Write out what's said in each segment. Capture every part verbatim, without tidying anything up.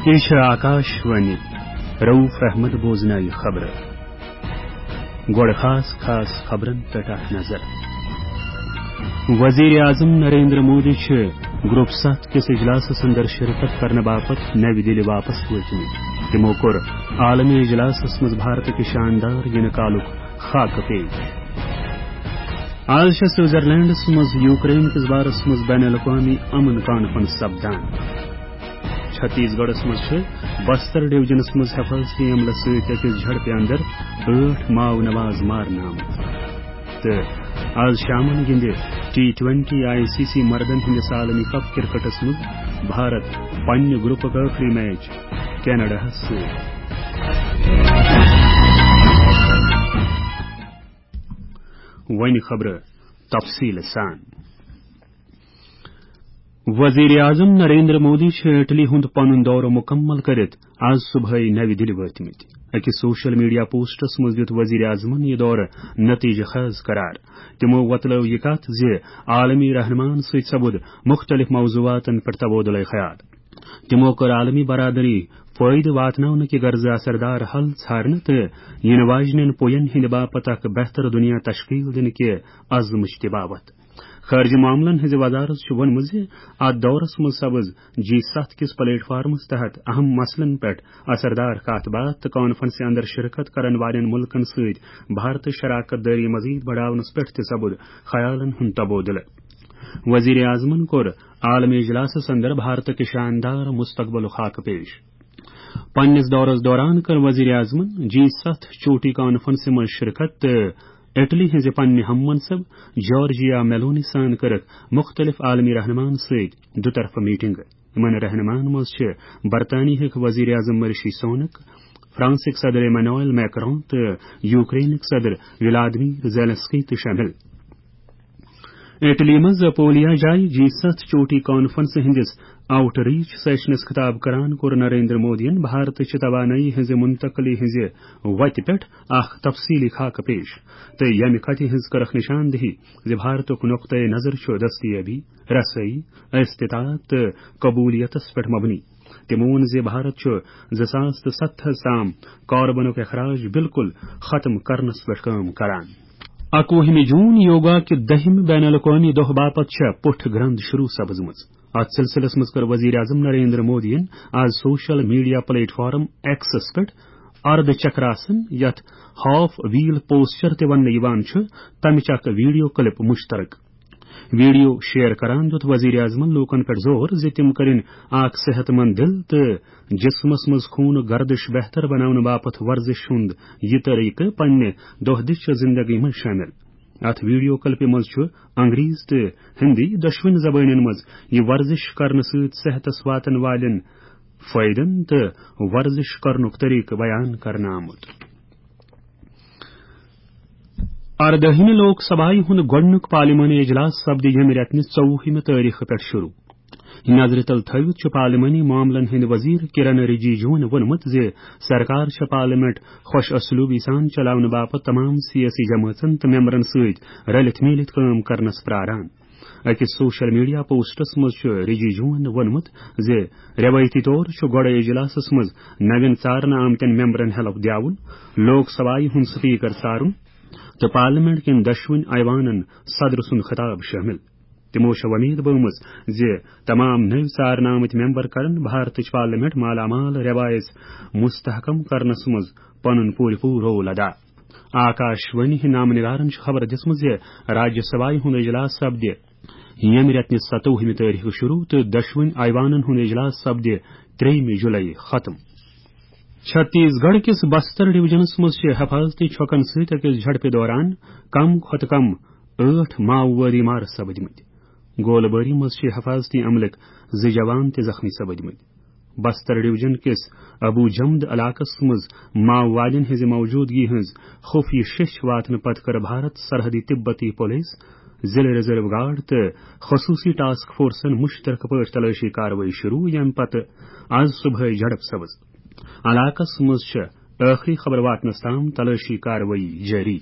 یہِ چھِ آکاش وانی۔ رؤف احمد بوزناوِ خبرٕ۔ گۄڈٕ خاص خاص خبرن پٮ۪ٹھ اکھ نظر۔ وزیر اعظم نریندر مودی چھِ گروپ ستھ کِس اجلاسس اندر شرکت کرنہٕ باپتھ نوِ دِلہِ واپس وٲتمٕتۍ۔ تِمو کوٚر عالمی اجلاسس منٛز بھارت کہِ شاندار یِنہٕ کالُک خاکہٕ پیش۔ آز چھےٚ سوئٹزرلینڈس منٛز یوکرین کِس بارس منٛز بین الاقوامی امن کانفرنس سپدان۔ چھتیس گڑھس منٛز چھِ بستر ڈویژنس منٛز حفاظتی عملس سۭتۍ أکِس جھڑپہِ اندر ٲٹھ ماؤ نواز مارنہٕ آمٕتۍ۔ تہٕ آز شامن گِنٛدِ T twenty I C C مردن ہٕنٛدِس عالمی کپ کرکٹس منٛز بھارت پننہِ گروپُک ٲخری میچ کینیڈاہس سۭتۍ۔ وۄنۍ خبرٕ تفصیٖل سان۔ وزیر اعظم نریندر مودی چھُ اٹلی ہُنٛد پنُن دورٕ مُکمل کٔرِتھ آز صبحٲے نوِ دِلہِ وٲتمٕتۍ۔ أکِس سوشل میڈیا پوسٹس منٛز دیُت وزیر اعظمن یہِ دورٕ نتیجہٕ خیز قرار۔ تِمو وۄتلٲو یہِ کتھ زِ عالمی رہنماہن سۭتۍ سپُد مُختٔلِف موضوعاتن پٮ۪ٹھ تبادلہٕ خیال۔ تِمو کٔر عالمی برادری فٲیدٕ واتناونہٕ کہِ غرضہٕ اثردار حل ژھارنہٕ تہٕ یِنہٕ واجنٮ۪ن پوین ہٕنٛدِ باپتھ اکھ بہتر دُنیا تشکیل دِنہٕ کہِ عزمٕچ تہِ باوتھ۔ خارجہ معاملن ہٕنٛزِ وزارت چھُ ووٚنمُت زِ اتھ دورس منٛز سپٕز جی ستھ کِس پلیٹ فارمس تحت اہم مسلن پٮ۪ٹھ اثردار کتھ باتھ تہٕ کانفرنسہِ اندر شرکت کرن والٮ۪ن ملکن سۭتۍ بھارتٕچ شراکت دٲری مزید بڑاونس پٮ۪ٹھ تہِ سپُد خیالن ہُنٛد تبادلہٕ۔ وزیر اعظمن کوٚر عالمی اجلاسس اندر بھارت کہِ شاندار مستقبلُک خاکہٕ پیش۔ پننِس دورس دوران کٔر وزیر اعظمن جی ستھ چوٹی کانفرنسہِ منٛز شرکت تہٕ اٹلی ہٕنٛزِ پننہِ ہم منصب جارجیا میلونی سان کٔرٕکھ مُختٔلِف عالمی رہنماہن سۭتۍ دُطرفہٕ میٹنگہٕ۔ یِمن رہنماہن منٛز چھِ برطانیہٕکۍ وزیر اعظم رشی سونک، فرانسٕکۍ صدر ایمانوئل میکرون تہٕ یوکرینٕکۍ صدر ولادیمیر زیلنسکی تہِ شٲمِل۔ اٹلی منٛز پولیا جایہِ جی ستھ چوٹی کانفرنس ہٕنٛدِس آؤٹ ریچ سیشنس خطاب کران کوٚر نریندر مودیَن بھارتٕچ توانٲیی ہٕنٛزِ منتقلی ہٕنٛزِ وتہِ پٮ۪ٹھ اکھ تفصیلی خاکہٕ پیش تہٕ ییٚمہِ کتھِ ہٕنٛز کٔرٕکھ نشاندہی زِ بھارتُک نقطۂ نظر چھُ دستیابی، رسٲیی، استطاعت تہٕ قبولیتس پٮ۪ٹھ مبنی۔ تِمو ووٚن زِ بھارت چھُ زٕ ساس تہٕ ستتھس تام کاربنُک اخراج بالکل ختم کرنس پٮ۪ٹھ کٲم کران۔ اکوُہمہِ جون یوگا کہِ دٔہمہِ بین الاقوٲمی دۄہ باپتھ چھےٚ پُٹھ گرند شروع سپٕزمٕژ۔ اتھ سلسلس منٛز کٔر وزیر اعظم نریندر مودیَن آز سوشل میڈیا پلیٹ فارم ایکسس پٮ۪ٹھ ارد چکراسن، یتھ ہاف ویل پوسچر تہِ وننہٕ یِوان چھُ، تمِچ اکھ ویڈیو کلپ مشترک۔ ویڈیو شیئر کران دیُت وزیر اعظمن لوٗکن پٮ۪ٹھ زور زِ تِم کٔرِن اکھ صحت مند دِل تہٕ جسمس منٛز خوٗنہٕ گردش بہتر بناونہٕ باپتھ ورزش ہُنٛد یہِ طریقہٕ پننہِ دۄہ دِش چہِ زندگی منٛز شٲمِل۔ اتھ ویڈیو کلپہِ منٛز چھُ انگریز تہٕ ہندی دۄشوٕنی زبٲنٮ۪ن منٛز یہِ ورزش کرنہٕ سۭتۍ صحتس واتن والٮ۪ن فٲیدن تہٕ ورزش کرنُک طریقہٕ بیان کرنہٕ آمُت۔ اردٲہمہِ لوک سبھایہِ ہُنٛد گۄڈٕنیُک پارلیمانی اجلاس سپدِ ییٚمہِ رٮ۪تہٕ نہِ ژوٚوُہمہِ تٲریخہٕ پٮ۪ٹھ شروع۔ نظرِ تل تھٲوِتھ چھُ پارلیمانی معاملن ہٕنٛدۍ وزیر کرن رجیجوَن ووٚنمُت زِ سرکار چھےٚ پارلیمنٹ خۄش اسلوبی سان چلاونہٕ باپتھ تمام سیٲسی جمٲژن تہٕ ممبرن سۭتۍ رلِتھ میٖلِتھ کٲم کرنس پراران۔ أکِس سوشل میڈیا پوسٹس منٛز چھُ رجیجوَن ووٚنمُت زِ رٮ۪وٲیتی طور چھُ گۄڈَے اجلاسس منٛز نوٮ۪ن ژارنہٕ آمتٮ۪ن ممبرن حلف دیاوُن، لوک سبھایہِ ہُنٛد سپیکر ژارُن تہٕ پارلیمنٹ کٮ۪ن دۄشوٕنی ایوانن صدر سُنٛد خطاب شٲمِل۔ تِمو چھےٚ وۄمید بٲومٕژ زِ تمام نٔوۍ ژارنہٕ آمٕتۍ ممبر کرن بھارتٕچ پارلیمنٹ مالا مال رٮ۪وایژ مستحکم کرنس منٛز پنُن پوٗرٕ پوٗرٕ رول ادا۔ آکاش وانی ہٕنٛدۍ نامہٕ نگارن چھِ خبر دِژمٕژ زِ راجیہ سبھایہِ ہُنٛد اجلاس سپدِ ییٚمہِ رٮ۪تہٕ نہِ ستووُہمہِ تٲریخہٕ شروع تہٕ دۄشوٕنی ایوانن ہُنٛد اجلاس سپدِ ترٛیٚیِمہِ جُلایی ختم۔ چھتیس گڑھ کِس بستر ڈویژنس منٛز چھِ حفاظتی چھۄکن سۭتۍ أکِس جھڑپہِ دوران کم کھۄتہٕ کم ٲٹھ ماؤوٲدی مارٕ سپٕدمٕتۍ۔ گولہٕ بٲری منٛز چھِ حفاظتی عملٕکۍ زٕ جوان تہِ زخمی سپٕدمٕتۍ۔ بستر ڈویژن کِس ابو جمد علاقس منٛز ماؤوادین ہٕنٛزِ موجودگی ہٕنٛز خفیہ شیٚچھ واتنہٕ پتہٕ کٔر بھارت سرحدی تبتی پولیس، ضلع ریزرو گارڈ تہٕ خصوصی ٹاسک فورسن مشترکہٕ پٲٹھۍ تلٲشی کاروٲیی شروع، ییٚمہِ پتہٕ آز صبحٲے جھڑپ سپٕز۔ علاقس منٛز چھِ ٲخری خبر واتنس تام تلٲشی کاروٲیی جٲری۔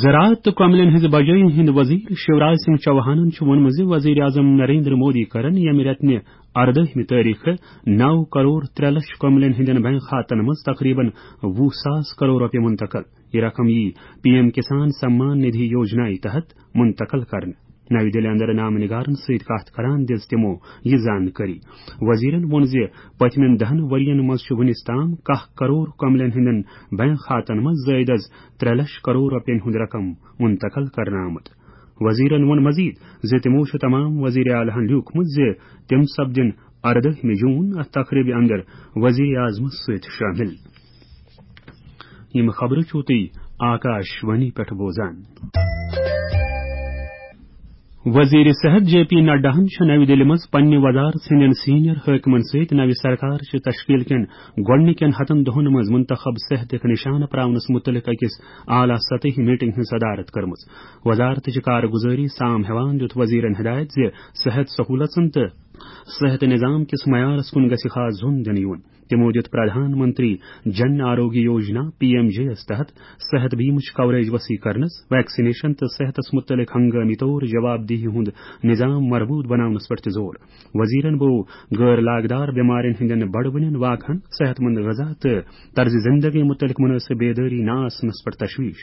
زراعت تہٕ کۄملین ہٕنٛزِ بجٲیی ہٕنٛدۍ وزیر شیوراج سنگھ چوہانن چھُ ووٚنمُت زِ وزیر اعظم نریندر مودی کرن ییٚمہِ رٮ۪تہٕ نہِ اردٲہمہِ تٲریخہٕ نو کرور ترٛےٚ لچھ کملین ہٕنٛدٮ۪ن بینک کھاتن منٛز تقریباً وُہ ساس کرور رۄپیہِ منتقل۔ یہِ رقم یی پی ایم کسان سمان ندھی یوجنا تحت منتقل کرنہٕ۔ نَوِ دِلہِ اندر نامہٕ نگارن سۭتۍ کتھ کران دِژ تِمو یہِ زانکٲری۔ وزیرن ووٚن زِ پٔتمٮ۪ن دَہن ؤرین منٛز چھُ وُنِس تام کاہ کرور کملین ہٕنٛدٮ۪ن بینک کھاتن منٛز زٲیدٕ از ترٛےٚ لچھ کرور رۄپین ہُنٛد رقم منتقل کرنہٕ آمُت۔ وزیرن ووٚن مزید زِ تِمو چھُ تمام وزیر اعلیٰ ہن لیوٗکھمُت زِ تِم سپدن اردٲہمہِ جوٗن اتھ تقریبہِ اندر وزیر اعظمس سۭتۍ شٲمِل۔ یِم خبرٕ چھِو تُہۍ آکاش وانی پٮ۪ٹھ بوزان۔ وزیر صحت جے پی نڈاہن چھُ نَوِ دِلہِ منٛز پننہِ وزارت ہٕنٛدٮ۪ن سینئر حٲکمن سۭتۍ نَوِ سرکار چہِ تشکیل کٮ۪ن گۄڈٕنِکٮ۪ن ہَتَن دۄہَن منٛز منتخب صحتٕکۍ نشانہٕ پراونس مُتعلق أکِس اعلیٰ سطحی میٹنگ ہٕنٛز صدارت کٔرمٕژ۔ وزارتٕچ کارگُزٲری سام ہٮ۪وان دِیُت وزیرن ہدایت زِ صحت سہوٗلژن تہٕ صحت نظام کِس معیارس کُن گژھِ خاص زوٚن دِنہٕ یُن۔ تِمو دِیُت Pradhan Mantri Jan Arogya Yojana, P M J یَس تحت صحت بیمٕچ کوریج وسیع کرنس، ویکسینیشن تہٕ صحتس مُتعلق ہنگٲمی طور جواب دہی ہُنٛد نظام مربوط بناونس پٮ۪ٹھ تہِ زور۔ وزیرن بوو غٲر لاگدار بٮ۪مارٮ۪ن ہٕنٛدٮ۪ن بڑوٕنٮ۪ن واقعن، صحت مند غذا تہٕ طرز زندگی مُتعلق مُنٲسِب بیدٲری نہ آسنس پٮ۪ٹھ تشویش۔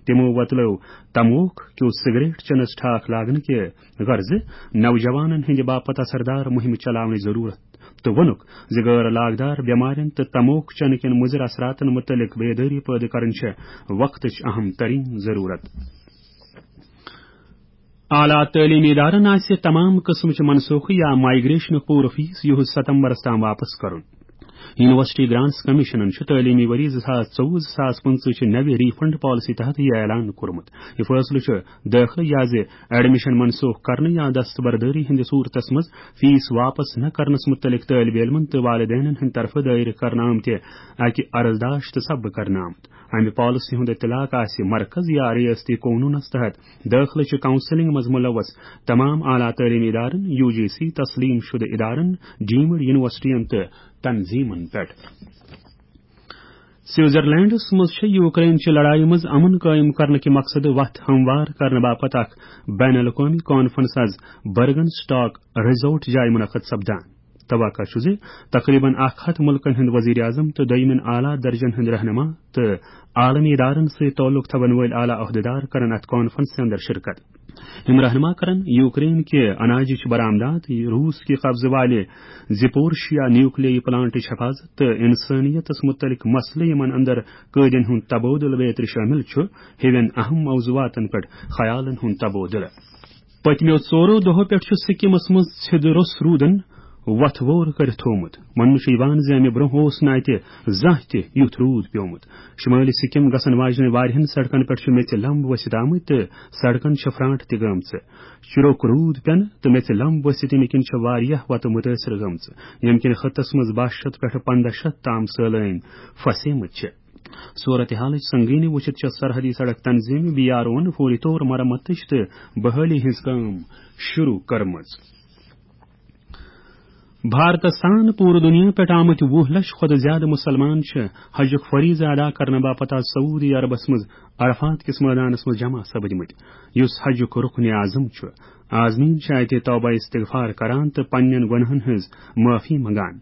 تِمو وۄتلٲو تموک کیو سگریٹ چنس ٹھاکھ لاگنہٕ کہِ غرضہٕ نوجوانن ہٕنٛدِ باپتھ اثردار مُہِم چلاونٕچ ضروٗرت تہٕ ووٚنُکھ زِ غٲر لاگدار بٮ۪مارٮ۪ن تہٕ تموک چنہٕ کٮ۪ن مُضِر اثراتن مُتعلق بیدٲری پٲدٕ کرٕنۍ چھےٚ وقتٕچ اہم ترین ضروٗرت۔ اعلیٰ تعلیمی ادارن آسہِ تمام قٕسمٕچہِ منسوخی یا مائیگریشنُک پوٗرٕ فیس یِہُس ستمبرس تام واپس کرُن۔ یونیورسٹی گرانٹس کمیشنن چھُ تعلیمی ؤری زٕ ساس ژوٚوُہ زٕ ساس پٕنٛژٕہ چہِ نوِ ری فنڈ پالیسی تحت یہِ اعلان کوٚرمُت۔ یہِ فٲصلہٕ چھُ دٲخلہٕ یا زِ ایڈمیشن منسوخ کرنہٕ یا دستبردٲری ہٕنٛدِ صورتس منٛز فیس واپس نہ کرنس مُتعلق طٲلب علمن تہٕ والدینن ہٕنٛدِ طرفہٕ دٲیرٕ کرنہٕ آمتہِ اکہِ عرضداشتہٕ سببہٕ کرنہٕ آمُت۔ امہِ پالیسی ہُنٛد اطلاق آسہِ مرکز یا ریاستی قونوٗنس تحت دٲخلہٕ چہِ کاؤنسلنگ منٛز ملوث تمام اعلیٰ تعلیمی ادارن، یو جی سی تسلیم شدٕ ادارن، ڈیمڈ یونیورسٹین تہٕ تنظیمن پٮ۪ٹھ۔ سوئٹزرلینڈس منٛز چھےٚ یوکرین چہِ لڑایہِ منٛز امن قٲیِم کرنہٕ کہِ مقصدٕ وتھ ہموار کرنہٕ باپتھ اکھ بین الاقوٲمی کانفرنس از برگن سٹاک ریزورٹ جایہِ منعقد سپدان۔ توقع چھُ زِ تقریباً اکھ ہتھ مُلکن ہٕنٛدۍ وزیر اعظم تہٕ دوٚیمٮ۪ن اعلیٰ درجن ہٕنٛدۍ رہنما تہٕ عالمی ادارن سۭتۍ تعلق تھاون وٲلۍ اعلیٰ عہدیدار کرن اتھ کانفرنسہِ اندر شرکت۔ یِم رہنما کرن یوکرین کہِ اناجٕچ برآمدات، روٗس کہِ قبضہٕ والہِ زپورشیا نیوکلیائی پلانٹٕچ حفاظت تہٕ انسٲنیتس مُتعلق مسلہٕ، یِمن اندر قٲدٮ۪ن ہُنٛد تبادلہٕ بیترِ شٲمِل چھُ، ہِوٮ۪ن اہم موضوعاتن پٮ۪ٹھ خیالن ہُنٛد تبادلہٕ۔ پٔتمیو ژورو دۄہو پٮ۪ٹھ چھُ سکمس منٛز سیٚدٕ روٚس روٗدن وتھ وور کٔرِتھ تھوومُت۔ وننہٕ چھُ یِوان زِ امہِ برونٛہہ اوس نہٕ اتہِ زانٛہہ تہِ یُتھ روٗد پیومُت۔ شمٲلی سکم گژھن واجنہِ واریاہن سڑکن پٮ۪ٹھ چھِ میٚژِ لمب ؤسِتھ آمٕتۍ تہٕ سڑکن چھِ پھرانٹ تہِ گٔمژٕ۔ چُرُک روٗد پٮ۪نہٕ تہٕ میٚژِ لمب ؤسِتھ ییٚمہِ کِنۍ چھِ واریاہ وتہٕ مُتٲثر گٔمژٕ، ییٚمہِ کِنۍ خطس منٛز باہ شیٚتھ پٮ۪ٹھٕ پنٛداہ شیٚتھ تام سٲلٲنۍ پھسیمٕتۍ چھِ۔ صورتحالٕچ سنگینی وُچھِتھ چھےٚ سرحدی سڑک تنظیم بی آر اوَن فوری طور مرمتٕچ تہٕ بحالی ہٕنٛز کٲم شروع کٔرمٕژ۔ بھارتس سان پوٗرٕ دُنیا پٮ۪ٹھ آمٕتۍ وُہ لچھ کھۄتہٕ زیادٕ مُسلمان چھِ حجُک فریضہٕ ادا کرنہٕ باپتھ آز سعودی عربس منٛز عرفات کِس مٲدانس منٛز جمع سپدمٕتۍ، یُس حجُک رُکن اعظم چھُ۔ عازمین چھِ اتہِ توبہ استغفار کران تہٕ پننٮ۪ن گۄناہن ہٕنٛز معٲفی منگان۔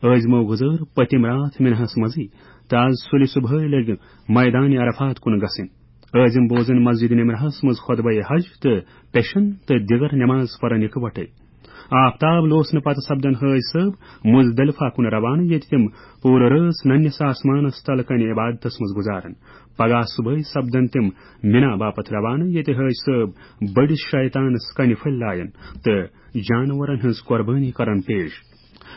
عازمو گُزٲر پٔتِم راتھ مِناہَس منٛزٕے تہٕ آز سُلہِ صبحٲے لٔگۍ مٲدانِ عرفات کُن گژھٕنۍ۔ عازم بوزن مسجد نمرہَس منٛز خطبہ حج تہٕ پیشن تہٕ دیگر نماز پرن اکوٹے۔ آفتاب لوسنہٕ پتہٕ سپدن حٲج صٲب مزدلفہ کُن روانہٕ، ییٚتہِ تِم پوٗرٕ رٲژ ننس آسمانس تل کنہِ عبادتس منٛز گُزارن۔ پگاہ صبحٲے سپدن تِم مِنا باپتھ روانہٕ، ییٚتہِ حٲج صٲب بٔڑِس شیطانس کنہِ پھٔلۍ لایَن تہٕ جانورن ہٕنٛز قۄربٲنی کرن پیش۔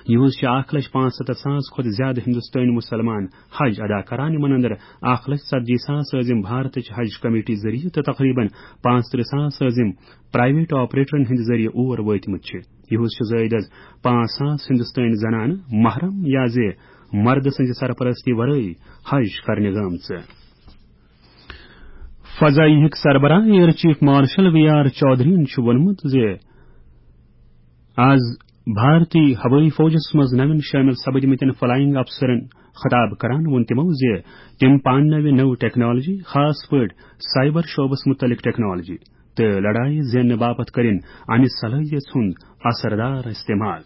یِہُس چھِ اکھ لچھ پانٛژھ ستتھ ساس کھۄتہٕ زیادٕ ہندوستٲنۍ مُسلمان حج ادا کران، یِمن اندر اکھ لچھ ژتجی ساس عٲزم بھارتٕچ حج کمیٹی ذٔریعہٕ تہٕ تقریباً پانٛژترٕہ ساس عٲزم پرائیویٹ آپریٹرن ہٕنٛدِ ذٔریعہٕ اور وٲتمٕتۍ چھِ۔ یِہُس چھِ زٲیدٕ از پانٛژھ ساس ہندوستٲنۍ زنانہٕ محرم یا زِ مردٕ سٕنٛزِ سرپرستی ورٲے حج کرنہِ گٲمژٕ۔ فضائیہٕکۍ سربراہ air chief marshal V R چودھرین چھُ ووٚنمُت زِ آز بھارتی ہوٲیی فوجس منٛز نوٮ۪ن شٲمِل سپدمٕتٮ۪ن فلائنگ افسرن خطاب کران ووٚن تِمو زِ تِم پاننٲوِ نٔو ٹیکنالوجی، خاص پٲٹھۍ سائبر شعبس مُتعلق ٹیکنالوجی، تہٕ لڑایہِ زیننہٕ باپتھ کٔرِن امہِ صلٲحیت ہُنٛد اثردار استعمال۔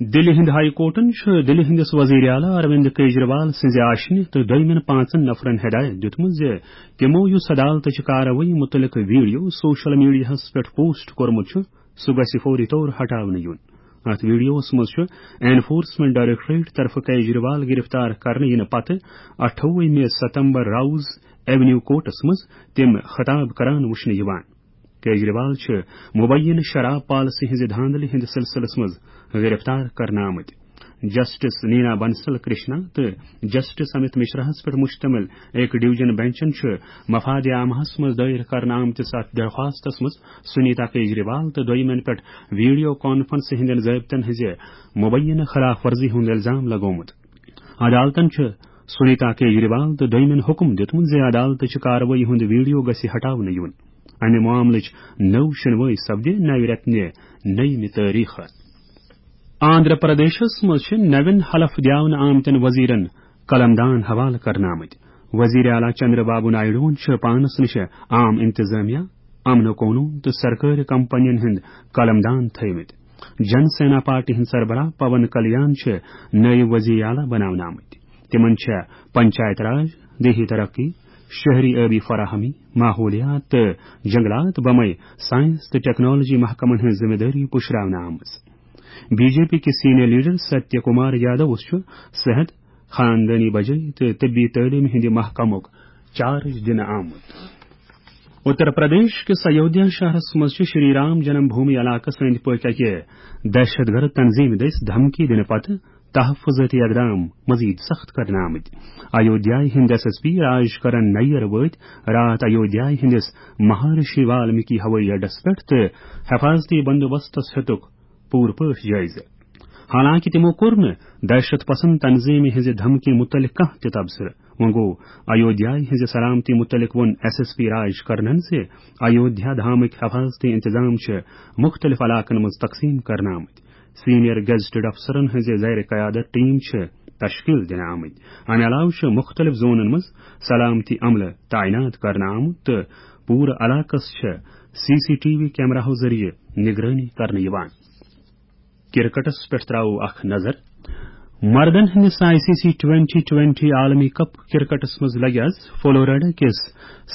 دِلہِ ہِنٛدِ ہائی کورٹَن چھُ دِلہِ ہِنٛدِس وزیر اعلیٰ اروند کیجریوال سٕنٛزِ آشنہِ تہٕ دوٚیمٮ۪ن پانٛژن نفرَن ہدایت دِیُتمُت زِ تِمَو یُس عدالتٕچہِ کاروٲیی مُتعلِق ویڈیو سوشل میڈیاہَس پٮ۪ٹھ پوسٹ کوٚرمُت چھُ، سُہ گژھِ فوری طور ہٹاونہٕ یُن۔ اَتھ ویڈیوَس منٛز چھُ انفورسمنٹ ڈائریکٹوریٹ طرفہٕ کیجریوال گرفتار کرنہٕ یِنہٕ پتہٕ اَٹھووُہمہِ ستمبر راؤز ایونیو کورٹَس منٛز تِم خطاب کران وُچھنہٕ یِوان۔ کیجریوال چھِ مبینہ شراب پالیسی ہٕنٛزِ دھاندلی ہٕنٛدِ سلسلس منٛز گرفتار کرنہٕ آمٕتۍ۔ جسٹس نینا بنسل کرشنا تہٕ جسٹس امیت مشراہَس پٮ۪ٹھ مشتمل اکھ ڈویژن بینچن چھُ مفاد عامہَس منٛز دائر کرنہٕ آمتِس اَتھ درخواستس منٛز سنیتا کیجریوال تہٕ دوٚیمٮ۪ن پٮ۪ٹھ ویڈیو کانفرنس ہٕنٛدٮ۪ن ضٲبطن ہٕنٛزِ مبینہ خلاف ورزی ہُنٛد الزام لگومُت۔ عدالتن چھُ سنیتا کیجریوال تہٕ دوٚیمٮ۪ن حکم دیُتمُت زِ عدالتٕچہِ کاروٲیی ہُنٛد ویڈیو گژھِ ہٹاونہٕ یُن۔ امہِ معاملٕچ نٔو شنوٲیی سپدِ نوِ رٮ۪تہٕ نہِ نٔیمہِ تٲریخہٕ۔ آندھرا پردیشس منٛز چھِ نوٮ۪ن حلف دِیاونہٕ آمتٮ۪ن وزیرن قلم دان حوالہٕ کرنہٕ آمٕتۍ۔ وزیر اعلیٰ چندر بابو نائیڈوَن چھِ پانس نِش عام انتظامیہ، امن و قونون تہٕ سرکٲرۍ کمپنین ہٕنٛدۍ قلم دان تھٲومٕتۍ۔ جن سینا پارٹی ہٕنٛدۍ سربراہ پون کلیان چھِ نٲیِب وزیر اعلیٰ بناونہٕ آمٕتۍ۔ تِمن چھےٚ پنچایت راج، دیہی ترقی، شہری آبی فراہمی، ماحولیات تہٕ جنگلات بمے سائنس تہٕ ٹیکنالوجی محکمن ہٕنٛز ذمہ دٲری پُشراونہٕ آمٕژ۔ بی جے پی کِس سینئر لیڈر ستیہ کمار یادوَس چھُ صحت، خاندٲنی بجٲیی تہٕ طبی تعلیٖم ہٕنٛدِ محکمُک چارج دِنہٕ آمُت۔ اتر پردیش کِس ایودھیا شہرس منٛز چھِ شری رام جنم بھومی علاقس أنٛدۍ پٔکۍ اکہِ دہشت گرد تنظیمہِ دٔسۍ دھمکی دِنہٕ پتہٕ تحفظٲتی اقدام مزید سخت کرنہٕ آمٕتۍ۔ ایودھیا ہٕنٛدۍ ایس ایس پی راج کرن نیر وٲتۍ راتھ ایودھیا ہٕنٛدِس مہارشی والمیکی ہوٲیی اڈس پٮ۪ٹھ تہٕ حفاظتی بندوبستس ہیوٚتُکھ پوٗرٕ پٲٹھۍ جٲیزٕ۔ حالانکہِ تِمو کوٚر نہٕ دہشت پسند تنظیمہِ ہٕنٛزِ دھمکی مُتعلق کانٛہہ تہِ تبصرٕ۔ وۄنۍ گوٚو، ایودھیا ہٕنٛزِ سلامتی مُتعلق ووٚن ایس ایس پی راج کرنن زِ ایودھیا دھامٕکۍ حفاظتی انتظام چھِ مُختٔلِف علاقن منٛز تقسیٖم کرنہٕ آمٕتۍ۔ سینئر گیزٹڈ افسرن ہٕنٛزِ زیر قیادت ٹیم چھِ تشکیل دِنہٕ آمٕتۍ۔ امہِ علاوٕ چھِ مُختٔلِف زونن منٛز سلامتی عملہٕ تعینات کرنہٕ آمُت تہٕ پوٗرٕ علاقس چھِ سی سی ٹی وی کیمراہو ذٔریعہٕ نگرٲنی کرنہٕ یِوان۔ کرکٹس پٮ۪ٹھ تراوو اکھ نظر۔ مردن ہٕنٛدِس I C C twenty twenty عالمی کپ کرکٹس منٛز لگہِ آز فلوریڈا کِس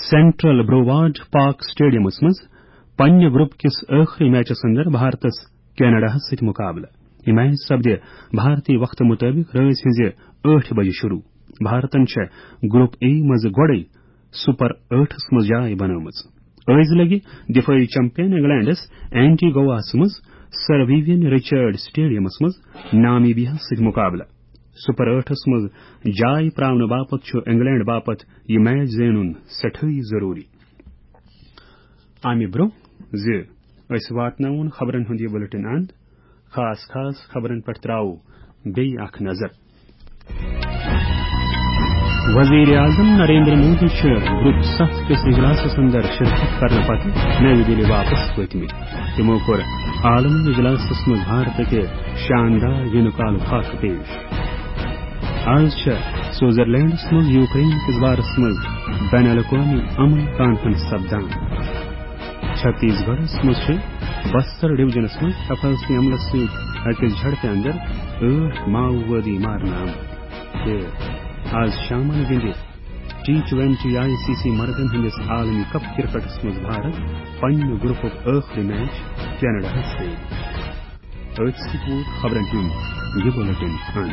سینٹرل برووارڈ پارک اسٹیڈیمس منٛز پننہِ گروپ کِس ٲخری میچس اندر بھارتس کینیڈاہس سۭتۍ مقابلہٕ۔ یہِ میچ سپدِ بھارتی وقتہٕ مُطٲبِق رٲژ ہٕنٛزِ ٲٹھِ بجہِ شروع۔ بھارتن چھےٚ گروپ اے منٛز گۄڈَے سپر ٲٹھس منٛز جاے بنٲومٕژ۔ أزۍ لگہِ دفٲعی چیمپئن انگلینڈس اینٹی گواہس منٛز سر ویوین رچرڈ اسٹیڈیمس منٛز نامیبیاہس سۭتۍ مقابلہٕ۔ سپر ٲٹھس منٛز جاے پراونہٕ باپتھ چھُ انگلینڈ باپتھ یہِ میچ زینُن سٮ۪ٹھٲہی ضروٗری۔ امہِ برٛونٛہہ زِ أسۍ واتناوون خبرن ہُنٛد یہِ بلیٹن اند، خاص خاص خبرن پٮ۪ٹھ تراوو بیٚیہِ اکھ نظر۔ وزیر اعظم نریندر مودی چھِ گروپ ستھ کِس اجلاسس اندر شرکت کرنہٕ پتہٕ نَوِ دِلہِ واپس وٲتمٕتۍ۔ تِمو کوٚر عالمی اجلاسس منٛز بھارت کہِ شاندار یِنہٕ کالُک خاکہٕ پیش۔ آز چھےٚ سوئٹزرلینڈس منٛز یوکرین کِس بارس منٛز بین الاقوامی امن کانفرنس سپدان۔ چھتیس گڑھس منٛز چھِ بستر ڈویژنس منٛز حفاظتی عملس سۭتۍ أکِس جھڑپہِ اندر ٲٹھ ماؤوادی مارنہٕ آمٕتۍ۔ تہٕ آز شامن گِنٛدِ T twenty I C C مردن ہٕنٛدِس عالمی کپ کرکٹس منٛز بھارت پننہِ گروپُک ٲخری میچ کینیڈاہس سۭتۍ۔ أتھۍ سۭتۍ ووت خبرن ہُنٛد یہِ بلیٹن اند۔